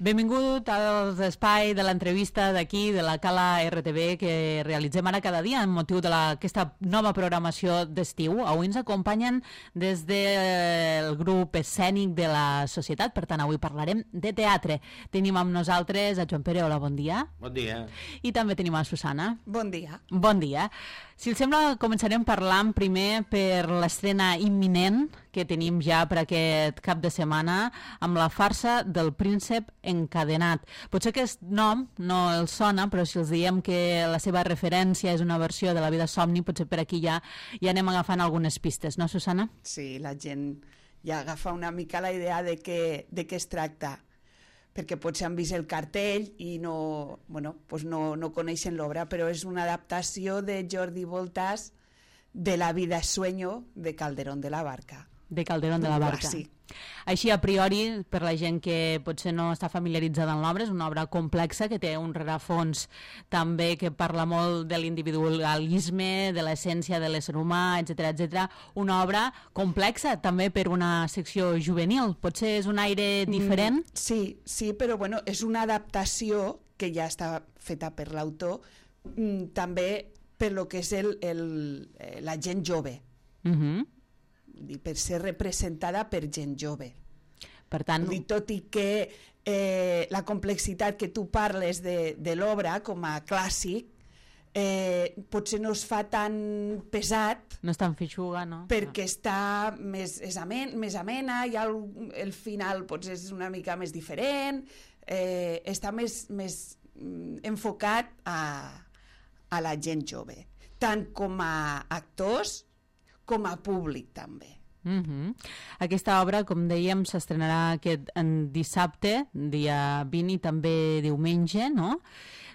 Benvingut als espai de l'entrevista d'aquí, de la Cala RTV, que realitzem ara cada dia en motiu d'aquesta nova programació d'estiu. Avui ens acompanyen des del grup escènic de la societat, per tant avui parlarem de teatre. Tenim amb nosaltres a Joan Pere, hola, bon dia. Bon dia. I també tenim a Susana. Bon dia. Bon dia. Si els sembla, començarem parlant primer per l'estrena imminent que tenim ja per aquest cap de setmana amb la farsa del príncep encadenat. Potser aquest nom no els sona, però si els diem que la seva referència és una versió de La vida somni, potser per aquí ja anem agafant algunes pistes, no, Susana? Sí, la gent ja agafa una mica la idea de què es tracta, perquè potser han vist el cartell i no coneixen l'obra, però és una adaptació de Jordi Voltás de La vida es sueño de Calderón de la Barca. De Calderón de la Barca. Sí. Així, a priori, per la gent que potser no està familiaritzada amb l'obra, és una obra complexa que té un rerefons també que parla molt de l'individualisme, de l'essència de l'ésser humà, etc. Una obra complexa també per una secció juvenil. Potser és un aire diferent? Sí, però bueno, és una adaptació que ja està feta per l'autor, també per lo que és la gent jove. I per ser representada per gent jove. Per tant, tot i que la complexitat que tu parles de l'obra com a clàssic potser no es fa tan pesat, no és tan feixuga, no? Perquè està més amena, i el final potser és una mica més diferent, està més enfocat a la gent jove, tant com a actors com a públic també. Aquesta obra, com dèiem, s'estrenarà aquest dissabte, dia 20, i també diumenge, no?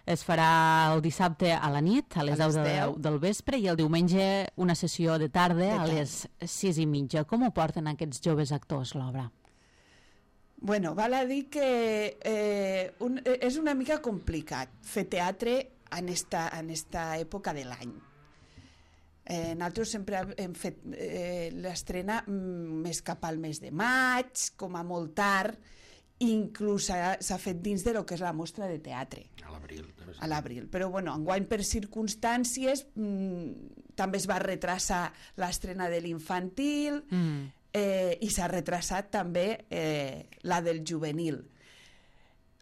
Es farà el dissabte a la nit, a les 10 del vespre, i el diumenge una sessió de tarda a les 6:30. Com ho porten aquests joves actors, l'obra? Bueno, val a dir que és una mica complicat fer teatre en esta època de l'any. Nosaltres sempre hem fet l'estrena més cap al mes de maig, com a molt tard, inclús s'ha fet dins de lo que és la mostra de teatre. A l'abril. Però bueno, enguany per circumstàncies també es va retrasar l'estrena de l'infantil i s'ha retrasat també la del juvenil.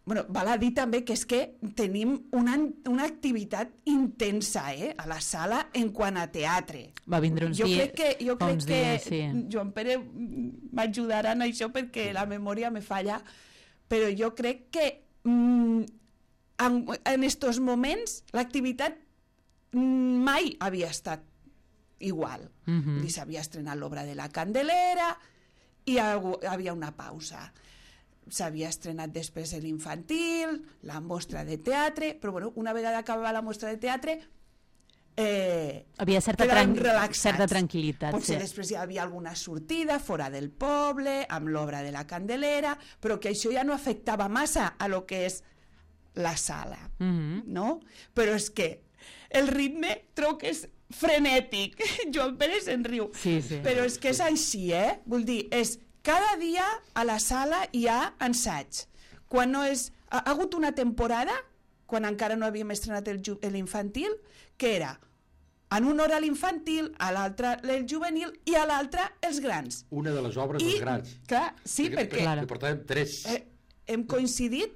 Bueno, val a dir també que és que tenim una activitat intensa a la sala en quant a teatre. Va vindre uns dies. Jo crec que Joan Pere m'ajudarà en això perquè la memòria me falla, però jo crec que en estos moments l'activitat mai havia estat igual. S'havia estrenat l'obra de la Candelera i hi havia una pausa. S'havia estrenat després l'infantil, la mostra de teatre, però bueno, una vegada acabava la mostra de teatre havia certa tranquil·litat. Potser després hi havia alguna sortida fora del poble, amb l'obra de la Candelera, però que això ja no afectava massa a lo que és la sala, no? Però és que el ritme trobo que és frenètic. Joan Pere se'n riu. Sí. Però és que és així, Vull dir, cada dia a la sala hi ha ensaig. Quan no és... Ha hagut una temporada, quan encara no havíem estrenat l'infantil, que era en una hora l'infantil, a l'altra el juvenil i a l'altra els grans. Una de les obres dels grans. Clar, sí, perquè portàvem 3. Hem coincidit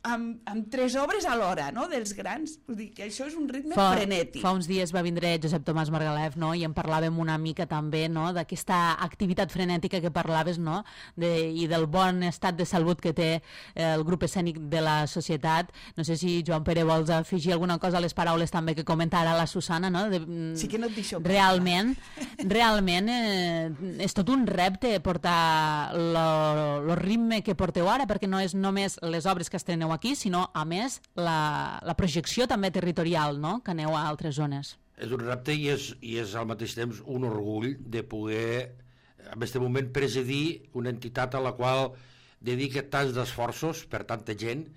amb 3 obres a l'hora, no?, dels grans. Vull dir que això és un ritme frenètic. Fa uns dies va vindre Josep Tomàs Margalef, no?, i en parlàvem una mica també, no?, d'aquesta activitat frenètica que parlaves, no?, i del bon estat de salut que té el grup escènic de la societat. No sé si, Joan Pere, vols afegir alguna cosa a les paraules també que comenta ara la Susana, no? Sí que no et deixo. Realment és tot un repte portar el ritme que porteu ara, perquè no és només les obres que estreneu aquí, sinó, a més, la projecció també territorial, no?, que aneu a altres zones. És un repte i és al mateix temps un orgull de poder, en aquest moment, presidir una entitat a la qual dedica tants d'esforços per tanta gent,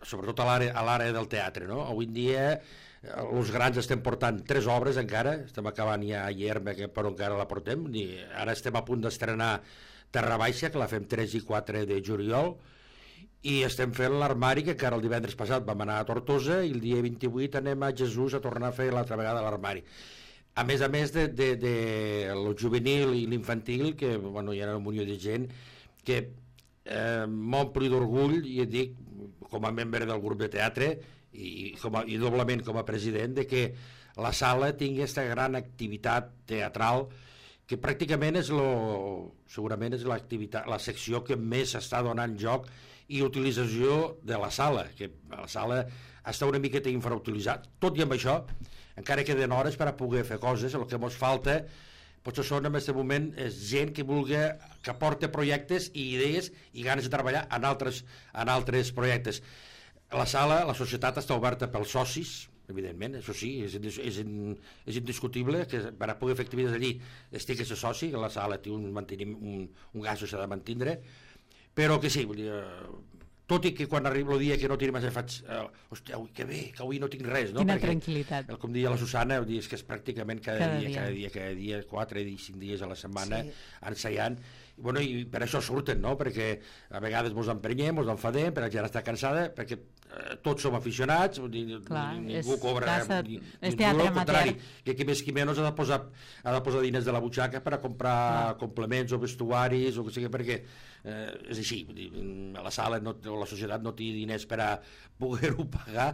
sobretot a l'àrea del teatre, no? Avui en dia els grans estem portant 3 obres encara, estem acabant ja a Llerma, però encara la portem, ara estem a punt d'estrenar Terra Baixa, que la fem 3 i 4 de juliol, i estem fent l'armari, que encara el divendres passat vam anar a Tortosa i el dia 28 anem a Jesús a tornar a fer l'altra vegada l'armari. A més de el juvenil i l'infantil, que bueno, hi ha un milió de gent que m'ompli d'orgull, i et dic, com a membre del grup de teatre i doblement com a president, de que la sala tingui aquesta gran activitat teatral que pràcticament segurament és la secció que més està donant joc i utilització de la sala, que la sala està una miqueta infrautilitzat. Tot i amb això, encara queden hores per a poder fer coses. El que ens falta potser són en aquest moment és gent que porta projectes i idees i ganes de treballar en altres projectes. La sala, la societat està oberta pels socis, evidentment, això sí, és indiscutible que per a poder fer activitats allí estigui ser soci, que la sala té un gasto s'ha de mantindre, però que sí, vull dir, tot i que quan arriba el dia que no tinc més faig, hòstia, que bé, que avui no tinc res, no? Quina tranquil·litat. Com deia la Susana, és que és pràcticament cada dia, 4 i 5 dies a la setmana, ensaiant, i per això surten, no? Perquè a vegades ens emprenyem, ens enfadem, perquè la gent està cansada, perquè tots som aficionats, ningú cobra és teatre amateur, que qui més qui menys ha de posar diners de la butxaca per a comprar complements o vestuaris o que sigui, perquè és així, la sala o la societat no té diners per a poder-ho pagar,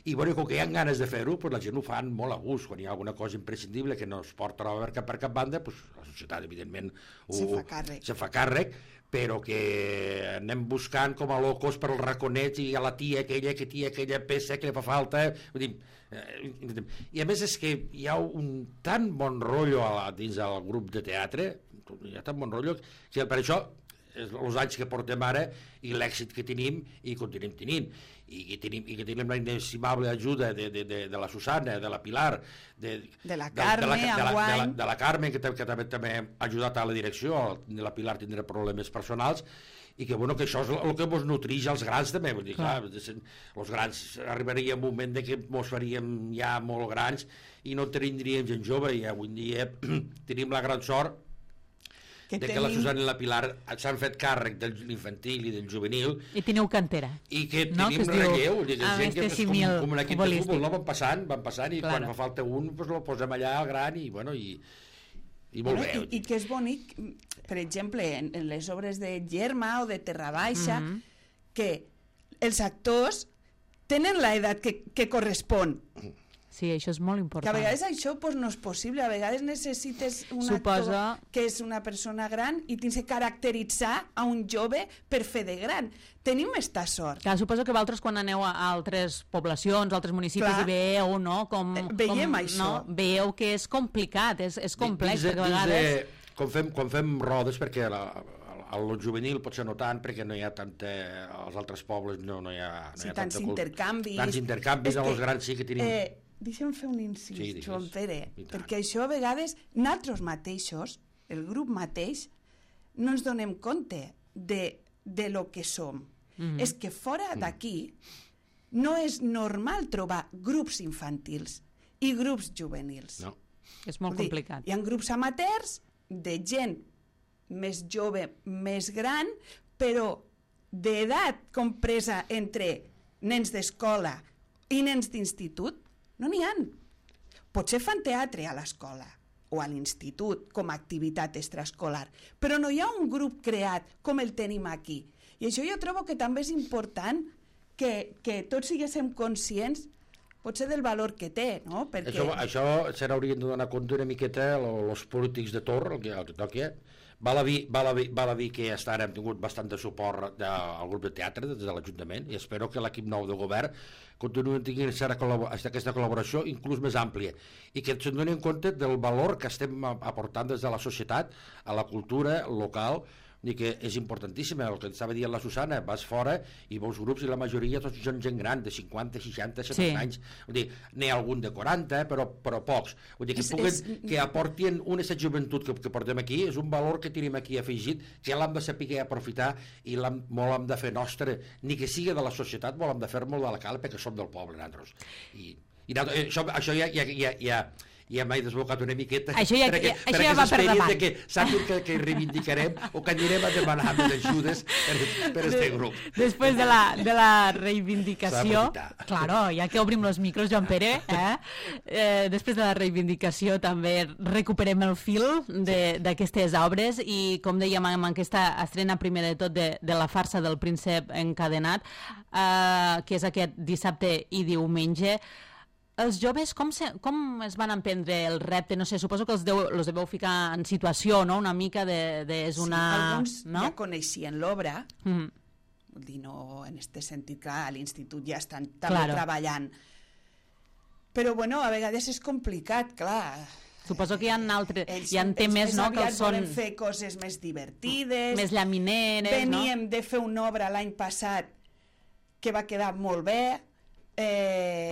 i com que hi ha ganes de fer-ho, la gent ho fan molt a gust. Quan hi ha alguna cosa imprescindible que no es porta per cap banda, la societat evidentment se fa càrrec, però que anem buscant com a locos per als raconets i a la tia aquella peça que li fa falta. I a més és que hi ha un tan bon rotllo dins del grup de teatre, hi ha tan bon rotllo, que per això els anys que portem ara i l'èxit que tenim i continuem tenint, i que tenim la inestimable ajuda de la Susana, de la Pilar, de la Carme, de la Carme, que també ha ajudat a la direcció. La Pilar tindrà problemes personals, i que això és el que ens nutreix als grans també. Vull dir, clar, els grans arribaria un moment que ens faríem ja molt grans i no tindríem gent jove, i avui en dia tenim la gran sort que la Susana i la Pilar s'han fet càrrec de l'infantil i del juvenil. I teniu cantera. I que tenim relleu, gent que és com un equip de futbol, van passant, i quan fa falta un, el posem allà al gran, i molt bé. I que és bonic, per exemple, en les obres de Germa o de Terra Baixa, que els actors tenen l'edat que correspon. Sí, això és molt important. Que a vegades això no és possible, a vegades necessites un actor que és una persona gran i tens que caracteritzar a un jove per fer de gran. Tenim aquesta sort. Clar, suposo que vosaltres quan aneu a altres poblacions, a altres municipis, i veieu, no? Veiem això. Veieu que és complicat, és complex, perquè a vegades... Quan fem rodes, perquè el juvenil potser no tant, perquè no hi ha tanta... als altres pobles no hi ha tants intercanvis. Tants intercanvis, als grans sí que tenim... Deixa'm fer un incís, Joan Pere, perquè això a vegades nosaltres mateixos, el grup mateix, no ens donem compte de lo que som. És que fora d'aquí no és normal trobar grups infantils i grups juvenils. No. És molt complicat. Hi ha grups amateurs de gent més jove, més gran, però d'edat compresa entre nens d'escola i nens d'institut, no n'hi ha. Potser fan teatre a l'escola o a l'institut com a activitat extraescolar, però no hi ha un grup creat com el tenim aquí. I això jo trobo que també és important que tots siguéssim conscients potser del valor que té, no? Perquè... Això se n'haurien de donar compte una miqueta els polítics de torn, el que toqui. Val a dir que fins ara hem tingut bastant de suport al grup de teatre des de l'Ajuntament, i espero que l'equip nou de govern continuï tenint aquesta col·laboració inclús més àmplia, i que se'n donin compte del valor que estem aportant des de la societat a la cultura local, i que és importantíssim. El que estava dient la Susana, vas fora i veus grups i la majoria tots són gent gran, de 50, 60, 70 anys. Vull dir, n'hi ha algun de 40, però pocs. Vull dir, que aportin una joventut que portem aquí, és un valor que tenim aquí afegit, que l'hem de saber aprofitar i molt hem de fer nostre, ni que sigui de la societat, molt hem de fer molt de la cal perquè som del poble, nosaltres. I això ja ja m'he desbocat una miqueta això ja va per davant. que sàpiga que reivindicarem o que anirem a demanar més ajudes per este grup. Després de la reivindicació, claro, ja que obrim els micros, Joan Pere, després de la reivindicació també recuperem el fil d'aquestes obres i, com dèiem, amb aquesta estrena primer de tot de la farsa del príncep encadenat, que és aquest dissabte i diumenge. Els joves com es van emprendre el repte? No sé, suposo que els deveu ficar en situació, no? Una mica és una... Sí, alguns no? ja coneixien l'obra, vull dir, no en aquest sentit, clar, a l'institut ja estan també treballant. Però, bueno, a vegades és complicat, clar. Suposo que hi ha temes, no?, que els són... volen fer coses més divertides. Més llamineres, no? Veníem de fer una obra l'any passat que va quedar molt bé. Va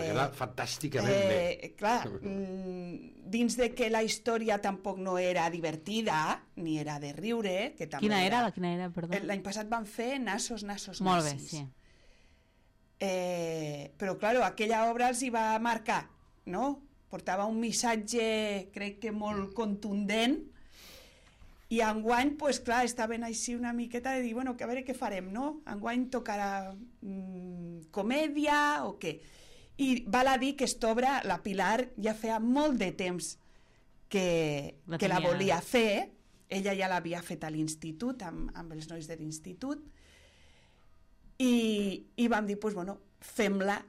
quedar fantàsticament bé. Clar, dins de que la història tampoc no era divertida, ni era de riure, que també Quina era, perdó? L'any passat van fer Nassos, Molt bé, sí. Però, clar, aquella obra els hi va marcar, no? Portava un missatge, crec que molt contundent, i enguany, pues, clar, estaven així una miqueta de dir, bueno, que a veure què farem, no? Enguany tocarà comèdia o què? I val a dir que aquesta obra, la Pilar, ja feia molt de temps que la volia fer. Ella ja l'havia fet a l'institut, amb els nois de l'institut, i vam dir, pues, bueno, fem-la,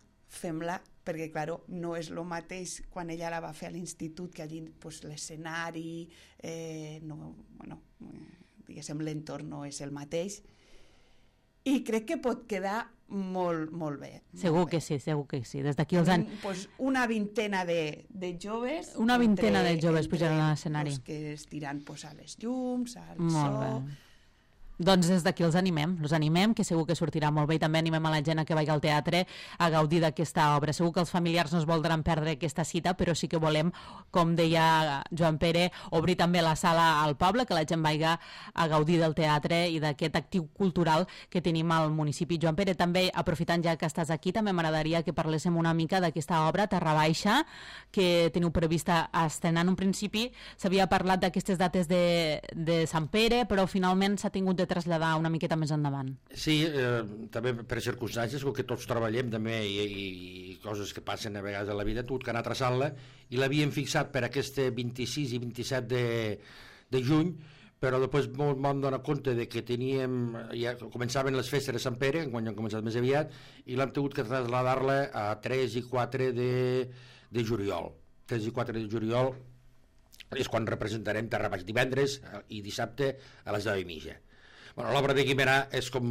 perquè, clar, no és el mateix quan ella la va fer a l'institut, que allí pues, l'escenari, diguéssim, l'entorn no és el mateix. I crec que pot quedar molt, molt bé. Segur que sí. Des d'aquí els anys... Pues una vintena de joves... Una vintena de joves pujaran a l'escenari. Que es tiran pues, a les llums, al molt bé. Doncs des d'aquí els animem, que segur que sortirà molt bé, i també animem a la gent que vagi al teatre a gaudir d'aquesta obra. Segur que els familiars no es voldran perdre aquesta cita, però sí que volem, com deia Joan Pere, obrir també la sala al poble, que la gent vagi a gaudir del teatre i d'aquest actiu cultural que tenim al municipi. Joan Pere, també, aprofitant ja que estàs aquí, també m'agradaria que parléssim una mica d'aquesta obra, Terra Baixa, que teniu prevista estrenar. En un principi s'havia parlat d'aquestes dates de Sant Pere, però finalment s'ha tingut de traslladar una miqueta més endavant. Sí, també per circumstàncies, com que tots treballem també i coses que passen a vegades a la vida, hem hagut que anar traçant-la, i l'havíem fixat per aquest 26 i 27 de juny, però després vam donar compte de que ja començaven les festes de Sant Pere, quan han començat més aviat, i l'hem tingut que traslladar-la a 3 i 4 de juliol. 3 i 4 de juliol és quan representarem Terra Baixa, divendres i dissabte a les 10:30. Bueno, l'obra de Guimerà és com...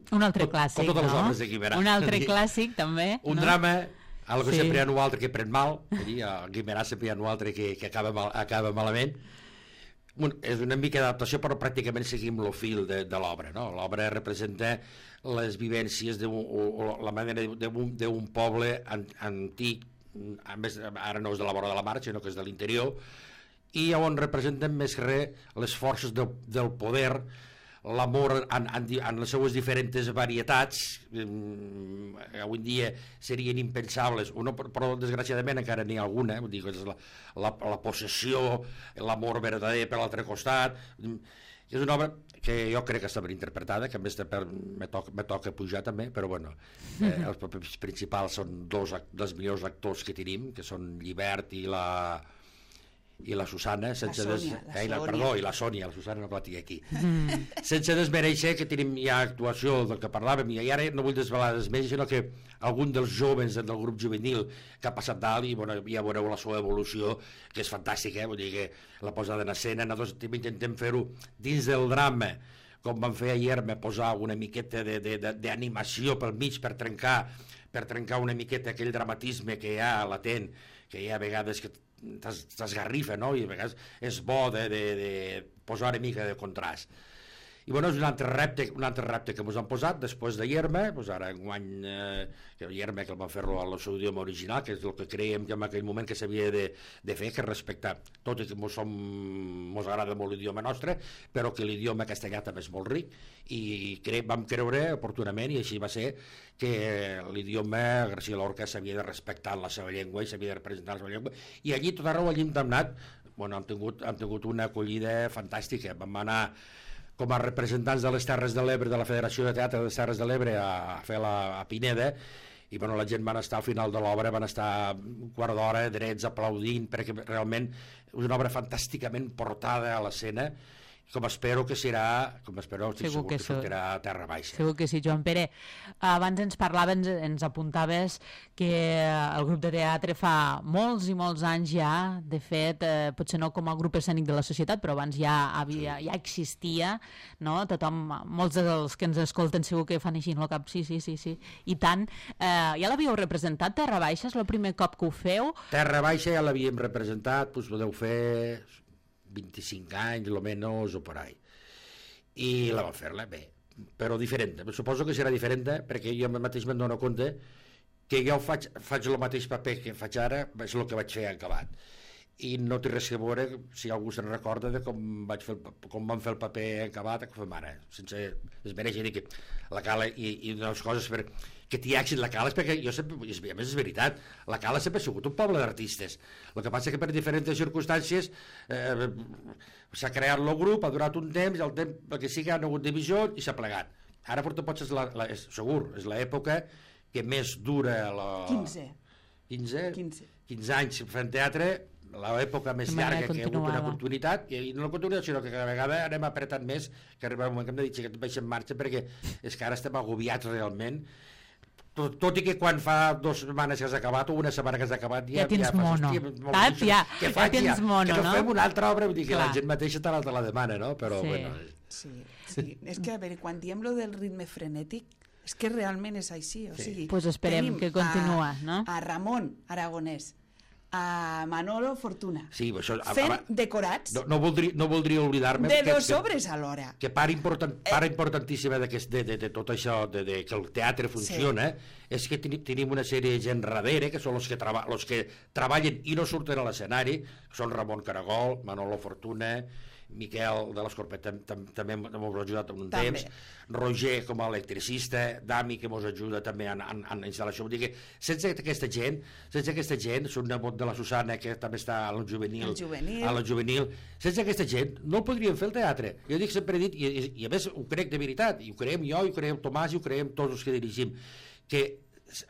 Un altre clàssic, com totes les no? obres de Guimerà. Un altre clàssic, també. Un drama, algo sí. Sempre hi ha un altre que pren mal, a Guimerà sempre hi ha un altre que acaba malament. És una mica d'adaptació, però pràcticament seguim el fil de l'obra, no? L'obra representa les vivències la manera d'un poble antic, a més, ara no és de la vora de la mar, sinó que és de l'interior, i on representen més que res les forces del poder, l'amor en les seues diferents varietats. Avui en dia serien impensables, però desgraciadament encara n'hi ha alguna, vull dir, la possessió, l'amor verdader per l'altre costat. És una obra que jo crec que està ben interpretada, que a més me toca pujar també, però bueno, els papers principals són dos dels millors actors que tenim, que són Llibert i la Susana, i la Sònia, la Susana no la tinc aquí. Sense desmereixer que tenim ja actuació del que parlàvem, i ara no vull desvelar més, sinó que algun dels joves del grup juvenil que ha passat dalt, i bueno, ja veureu la seva evolució, que és fantàstica, vull dir que la posada en escena, nosaltres també intentem fer-ho dins del drama, com vam fer ahir, posar una miqueta d'animació pel mig per trencar una miqueta aquell dramatisme que hi ha latent, que hi ha vegades que t'esgarrifa, no? I a vegades és bo de posar una mica de contrast. I bueno, és un altre repte que ens han posat després de Yerma, doncs ara enguany Yerma que el van fer-lo al seu idioma original, que és el que creiem que en aquell moment que s'havia de fer, que respectar, tot i que ens agrada molt l'idioma nostre, però que l'idioma castellà també és molt ric, i vam creure oportunament, i així va ser, que l'idioma García Lorca s'havia de respectar la seva llengua i s'havia de representar la seva llengua, i allí tot arreu allí hem anat, bueno, hem tingut una acollida fantàstica. Vam anar com a representants de les Terres de l'Ebre, de la Federació de Teatre de les Terres de l'Ebre, a fer a Pineda, i bueno, la gent van estar al final de l'obra, van estar un quart d'hora drets aplaudint, perquè realment és una obra fantàsticament portada a l'escena, com espero que serà, segur que sortirà a terra baixa. Segur que sí, Joan Pere. Abans ens apuntaves que el grup de teatre fa molts i molts anys ja, de fet, potser no com a grup escènic de la societat, però abans ja existia, no? Molts dels que ens escolten segur que fan així en el cap, sí, i tant. Ja l'havíeu representat, Terra Baixa? És el primer cop que ho feu? Terra Baixa ja l'havíem representat, doncs podeu fer 25 anys, almenys, o per ahí. I la vam fer-la bé, però diferent. Suposo que serà diferent, perquè jo mateix me'n dono compte que jo faig el mateix paper que faig ara, és el que vaig fer acabat. I no té res a veure, si algú se'n recorda, de com vam fer el paper acabat, que fem ara, sense desmereixer dir que la Cala i les coses que t'hi èxit la Cala, és perquè jo sempre, a més és veritat, la Cala sempre ha sigut un poble d'artistes. El que passa que per diferents circumstàncies s'ha creat el grup, ha durat un temps, i el temps que sí que ha hagut divisió i s'ha plegat. Ara potser segur, és l'època que més dura 15 anys fent teatre, l'època més llarga que hi ha hagut una continuïtat, i no la continuïtat, sinó que cada vegada anem apretant més, que arriba un moment que hem de dir que tot baix en marxa, perquè és que ara estem agobiats realment, tot i que quan fa 2 setmanes que has acabat o una setmana que has acabat ja tens mono, saps? Ja tens mono, no? Que no fem una altra obra, vull dir que la gent mateixa te la demana, no? Però bueno... Sí, és que a veure, quan diem lo del ritme frenètic, és que realment és així, o sigui... Pues esperem que continua, no? A Ramon Aragonès, a Manolo Fortuna, fent decorats no voldria oblidar-me de dos obres alhora, que part importantíssima de tot això que el teatre funciona, és que tenim una sèrie de gent darrere, que són els que treballen i no surten a l'escenari, són Ramon Caragol, Manolo Fortuna, Miquel de l'Escorpet també m'ha ajudat en un temps, Roger com a electricista, Dami que ens ajuda també en instal·lació. Vull dir que sense aquesta gent, són nebot de la Susana que també està a la juvenil, sense aquesta gent no el podríem fer el teatre. Jo sempre he dit, i a més ho crec de veritat, i ho creiem jo, i ho creiem Tomàs, i ho creiem tots els que dirigim, que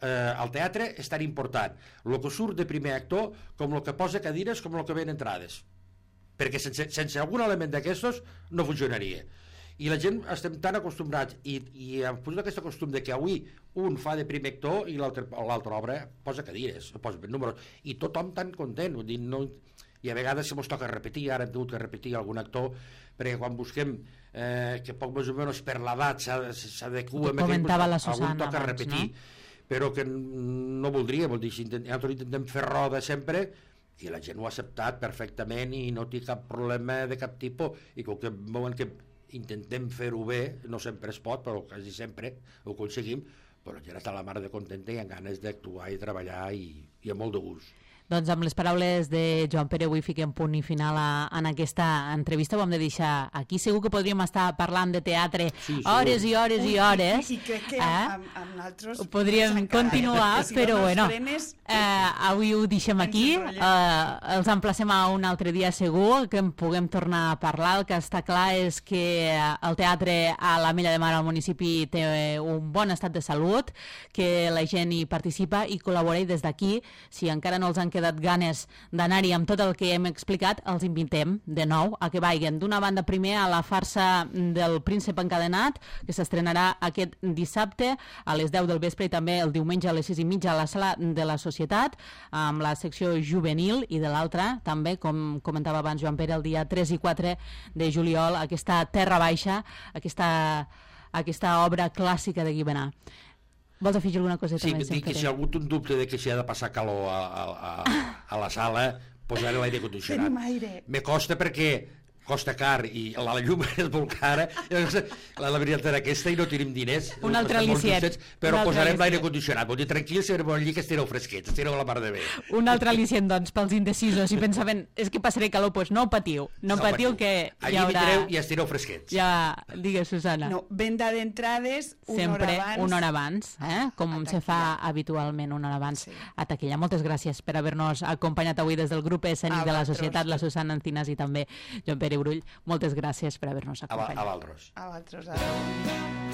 el teatre és tan important el que surt de primer actor com el que posa cadires com el que ven entrades, perquè sense algun element d'aquestos no funcionaria. I la gent estem tan acostumbrats i hem posat aquest costum de que avui un fa de primer actor i l'altra obra posa cadires, posa números, i tothom tan content, i a vegades se mos toca repetir, ara hem tingut que repetir algun actor, perquè quan busquem que poc més o menys per l'edat s'adequa, algun toca repetir, però que no voldria, vol dir, nosaltres intentem fer roda sempre, i la gent ho ha acceptat perfectament i no té cap problema de cap tipus, i com que veuen que intentem fer-ho bé, no sempre es pot, però quasi sempre ho aconseguim, però la gent està a la mar de contenta i amb ganes d'actuar i treballar i amb molt de gust. Doncs amb les paraules de Joan Pere avui fiquem punt i final en aquesta entrevista. Ho hem de deixar aquí. Segur que podríem estar parlant de teatre hores i hores i hores. I crec que amb nosaltres podríem continuar, però bueno, avui ho deixem aquí. Els emplacem a un altre dia segur, que en puguem tornar a parlar. El que està clar és que el teatre a l'Ametlla de Mar al municipi té un bon estat de salut, que la gent hi participa i col·labora, i des d'aquí, si encara no els han quedat ganes d'anar-hi amb tot el que hem explicat, els invitem de nou a que vagin d'una banda primer a la farsa del Príncep Encadenat, que s'estrenarà aquest dissabte a les 10 del vespre, i també el diumenge a les 6:30 a la Sala de la Societat, amb la secció juvenil, i de l'altra també, com comentava abans Joan Pere, el dia 3 i 4 de juliol, aquesta Terra Baixa, aquesta obra clàssica de Guimerà. Vols afegir alguna coseta més? Sí, dic que si hi ha hagut un dubte de que s'hi ha de passar calor a la sala, posar l'aire condicionat. Tenim aire. Me costa perquè costa car i la llum és molt cara, la veritat era aquesta i no tenim diners. Un altre al·licient. Però posarem l'aire condicionat. Vol dir, tranquil, si anem allí que estireu fresquets, estireu la mar de bé. Un altre al·licient, doncs, pels indecisos, si pensaven, és que passaré calor, doncs no patiu, no patiu que allí hi haurà... vindreu i estireu fresquets. Ja, digues, Susana. No, venda d'entrades Sempre una hora abans, com se fa habitualment una hora abans a taquilla. Moltes gràcies per haver-nos acompanyat avui des del grup escènic de la Societat, la Susana Encinas i també Joan Pere Brull. Moltes gràcies per haver-nos acompanyat. A Valtros. A Valtros.